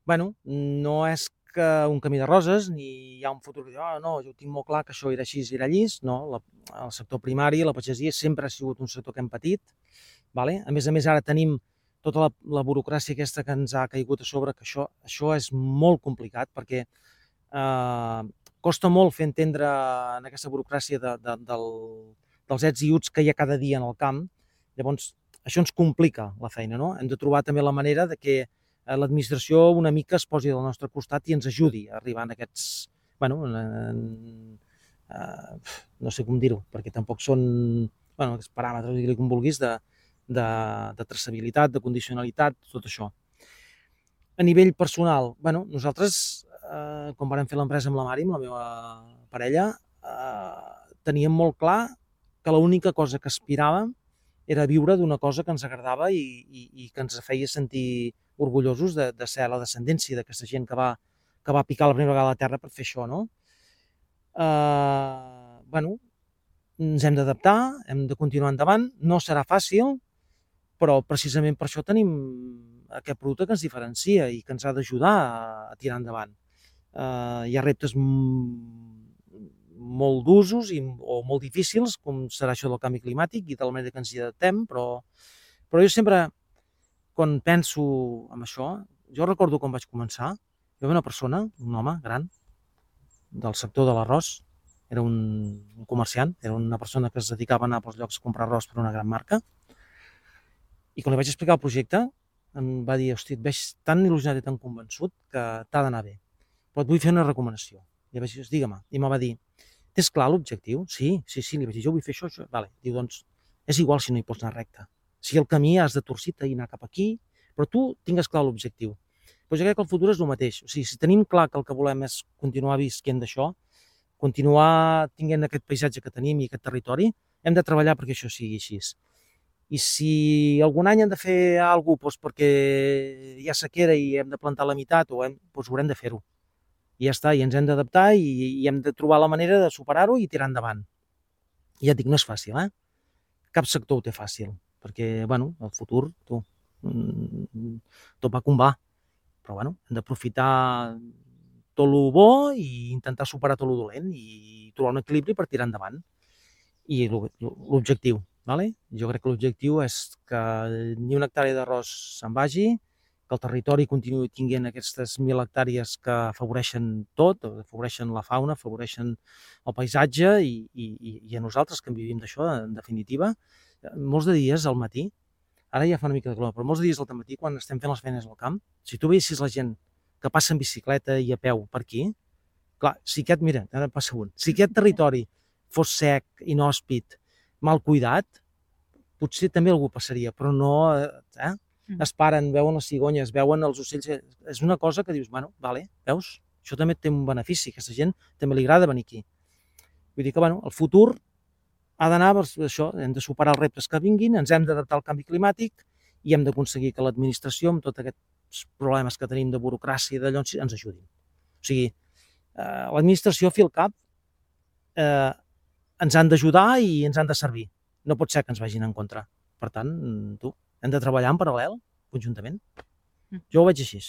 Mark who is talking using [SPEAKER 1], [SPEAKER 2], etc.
[SPEAKER 1] bueno, no és que un camí de roses, ni hi ha un futur que diu, no, jo tinc molt clar que això era així, era llis, no, el sector primari, la pagesia, sempre ha sigut un sector que hem patit, vale? A més, ara tenim tota la burocràcia aquesta que ens ha caigut a sobre, que això és molt complicat, perquè costa molt fer entendre en aquesta burocràcia dels ets i uts que hi ha cada dia en el camp. Llavors, això ens complica la feina, no? Hem de trobar també la manera de que l'administració una mica es posi del nostre costat i ens ajudi a arribar a aquests, bueno, no sé com dir-ho, perquè tampoc són aquests paràmetres, digue-li com vulguis, de traçabilitat, de condicionalitat, tot això. A nivell personal, nosaltres, quan vam fer l'empresa amb la Mari, amb la meva parella, teníem molt clar que l'única cosa que aspiràvem era viure d'una cosa que ens agradava i que ens feia sentir orgullosos de ser la descendència d'aquesta gent que va picar la primera vegada a la terra per fer això, no? Ens hem d'adaptar, hem de continuar endavant, no serà fàcil, però precisament per això tenim aquest producte que ens diferencia i que ens ha d'ajudar a tirar endavant. Hi ha reptes molt d'usos o molt difícils, com serà això del canvi climàtic i de la manera que ens hi adaptem, però jo sempre, quan penso en això, jo recordo quan vaig començar, hi havia una persona, un home gran, del sector de l'arròs, era un comerciant, era una persona que es dedicava a anar pels llocs a comprar arròs per una gran marca, i quan li vaig explicar el projecte, em va dir, hosti, et veig tan il·lusionat i tan convençut que t'ha d'anar bé, però et vull fer una recomanació. I vaig dir, digue-me. I em va dir, tens clar l'objectiu? Sí, li vaig dir, jo vull fer això. Vale. Diu, doncs, és igual si no hi pots anar recte. Si el camí has de torcir-te i anar cap aquí, però tu tingues clar l'objectiu. Però jo crec que el futur és el mateix. O sigui, si tenim clar que el que volem és continuar visquent d'això, continuar tinguent aquest paisatge que tenim i aquest territori, hem de treballar perquè això sigui així. I si algun any hem de fer alguna cosa perquè hi ha sequera i hem de plantar la meitat, doncs haurem de fer-ho. I ja està, i ens hem d'adaptar i hem de trobar la manera de superar-ho i tirar endavant. I ja et dic, no és fàcil, Cap sector ho té fàcil, perquè, el futur, tot va com va. Però, hem d'aprofitar tot el bo i intentar superar tot el dolent i trobar un equilibri per tirar endavant. I l'objectiu, jo crec que l'objectiu és que ni una hectàrea d'arròs se'n vagi, que el territori continuï tinguent aquestes 1.000 hectàrees que afavoreixen tot, afavoreixen la fauna, afavoreixen el paisatge i a nosaltres que en vivim d'això, en definitiva. Molts de dies al matí, ara ja fa una mica de calor, però molts de dies al matí, quan estem fent les feines al camp, si tu veiessis la gent que passa en bicicleta i a peu per aquí, clar, si ara passa un, si aquest territori fos sec, inhòspit, mal cuidat, potser també algú passaria, però no, es paren, veuen les cigonyes, veuen els ocells, és una cosa que dius, veus, això també té un benefici, aquesta gent també li agrada venir aquí. Vull dir que, el futur ha d'anar per això, hem de superar els reptes que vinguin, ens hem d'adaptar al canvi climàtic i hem d'aconseguir que l'administració, amb tots aquests problemes que tenim de burocràcia i d'allò, ens ajudin. O sigui, l'administració, fi al cap, ens han d'ajudar i ens han de servir. No pot ser que ens vagin en contra. Per tant, hem de treballar en paral·lel, conjuntament. Jo ho veig així.